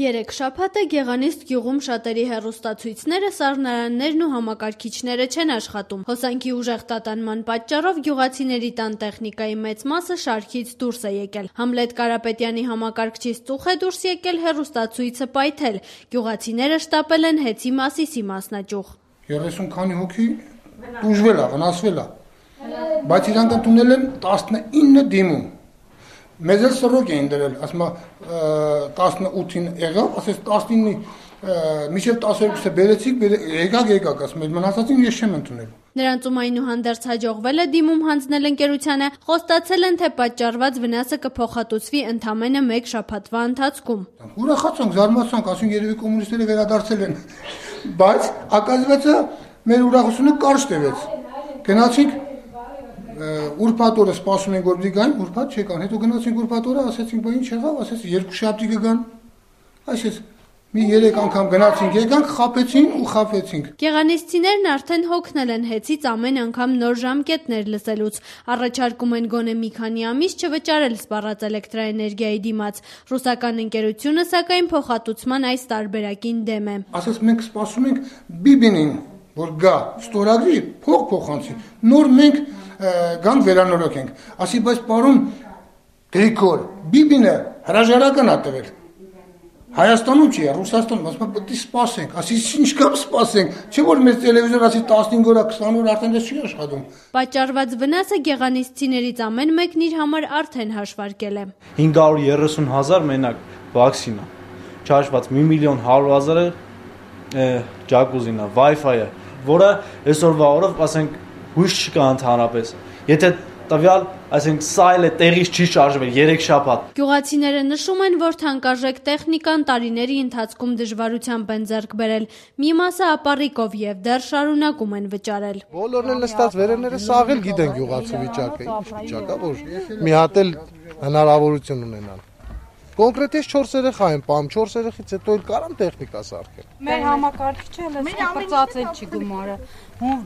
Երեք շաբաթ է Գեղանիստ գյուղում շատերի հեռուստացույցները, սառնարաններն ու համակարգիչները չեն աշխատում։ Հոսանքի ուժեղ տատանման պատճառով գյուղացիների տան տեխնիկայի մեծ մասը շարքից դուրս է եկել։ Համլետ Կարապետյանի համակարգչից ծուխ է դուրս եկել, հեռուստացույցը պայթել։ Գյուղացիները շտապել են Հեցի Մասիսի մասնաճյուղ։ 30 քանի հոգի տուժվել է, վնասվել է, բայց իրանք ընդունել են 19 դիմում։ Մեզ էլ սրոք էին դրել, ասում 18-ին եղավ, ասես 19-ի մինչև 12-ը բերեցիք, եկակ, ասում եմ, մնացածին ես չեմ ընդունել։ Նրանցում այնուհանդերձ հաջողվել է դիմում հանձնել ընկերությանը, խոստացել են, թե պատճառված վնասը կփոխհատուցվի ընդամենը 1 շաբաթվա ընթացքում։ Ուրախացանք, զարմացանք, ասում երևի կոմունիստները վերադարձել են, բայց ակազվեցը մեր ուրախությունը կարճ տևեց։ Գնացինք ուրբաթ օրը սպասում ենք, որ դի գան, ուրբաթ չեկան, հետո գնացինք ուրբաթ օրը, ասեցինք, բա ինչ եղավ, ասեց 2 շաբթի կգան, այսպես մի 3 անգամ գնացինք, եկանք, խաբեցին ու խաբեցինք։ Գեղանիսցիներն արդեն հոգնել են Հեցից ամեն անգամ նոր ժամկետներ լսելուց, առաջարկում են գոնե մի քանի ամիս չվճարել սպառած էլեկտրաէներգիայի դիմաց։ Ռուսական ընկերությունը սակայն փոխհատուցման այս տարբերակին դեմ է։ Ասես մենք սպասում ենք Բիբինին, որ գա, ստորագրի, փոխանցի, նոր մենք գանք վերանորոգենք, ասի, բայց պարոն Գրիգոր, Բիբինը հրաժարական ա տվել, Հայաստանում չի, Ռուսաստանում, ասում պետք է սպասենք, ասի, ինչ կապ սպասենք, չէ որ մեզ տելևիզոր ասի 15 օր, 20 օր արդեն դες չի աշխատում։ Պատճառված վնասը գեղանիսցիներից ամեն մեկն իր համար արդեն հաշվարկել է։ 530,000 մենակ վաքսինա, չհաշված 1,100,000 ջակուզինա, Wi-Fi-ը, որը այսօրվա օրով, ասենք, հույս չկա ընդհանրապես։ Եթե տվյալ, այսինքն սա էլ է տեղից չի շարժվել 3 շաբաթ։ Գյուղացիները նշում են, որ թանկարժեք տեխնիկան տարիների ընթացքում դժվարությամբ են ձեռք բերել։ Մի մասը ապառիկով եւ դեռ շարունակում են վճարել։ Բոլորն էլ նստած վերևները սաղ էլ գիտեն գյուղացու վիճակը, ինչ վիճակա, որ մի հատ էլ հնարավորություն ունենան։ Կոնկրետ ես 4 երեխա եմ պահում, 4 երեխից հետո էլ կարամ տեխնիկա սարքել։ Մեր համակարգիչը լսկրծացել չի գումարը։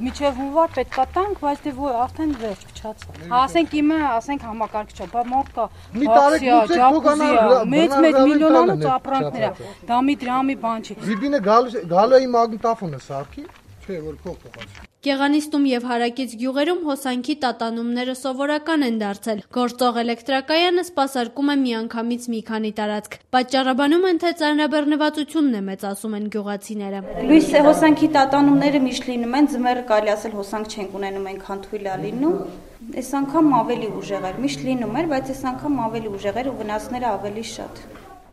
Միջև հունվար պետքա տանք, բայց դե արդեն վերջ փչացավ։ Ասենք իմը, ասենք համակարգիչը, բա մորտ կա, բաքսիա, ջակուզիա, մեծ միլիոնանոց ապրանքներ է։ Դա մի դրամի բան չի։ Բիբինը գալու է մագնիտոֆոնը սարքի, չէ որ փոխանցի։ Գեղանիստում եւ հարակից գյուղերում հոսանքի տատանումները սովորական են դարձել։ Գործող էլեկտրակայանը սպասարկում է միանգամից մի քանի տարածք։ Պատճառաբանում են, թե ծանրաբեռնվածությունն է մեծ, ասում են գյուղացիները։ Լույս հոսանքի տատանումները միշտ լինում են, ձմեռը կարելի ասել հոսանք չենք ունենում, այնքան թույլ է լինում։ Այս անգամ ավելի ուժեղ էր, միշտ լինում էր, բայց այս անգամ ավելի ուժեղ էր ու վնասները ավելի շատ։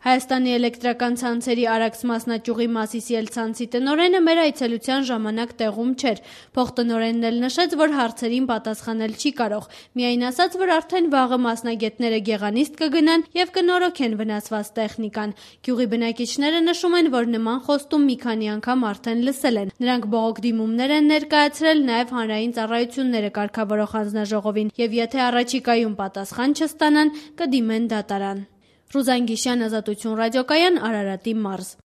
Հայաստանի էլեկտրական ցանցերի Արաքս մասնաճյուղի Մասիսի ցանցի տնօրենը մեր այցելության ժամանակ տեղում չէր։ Փոխտնօրենն էլ նշեց, որ հարցերին պատասխանել չի կարող։ Միայն ասաց, որ արդեն վաղը մասնագետները Գեղանիստ կգնան եւ կնորոգեն վնասված տեխնիկան։ Գյուղի բնակիչները նշում են, որ նման խոստում մի քանի անգամ արդեն լսել են։ Նրանք բողոք դիմումներ են ներկայացրել նաեւ հանրային ծառայությունները կարգավորող հանձնաժողովին եւ եթե առաջիկայում պատասխան չստանան, կդիմեն դատարան։ Ռուզան Գիշյան, Ազատություն ռադիոկայան, Արարատի մարզ։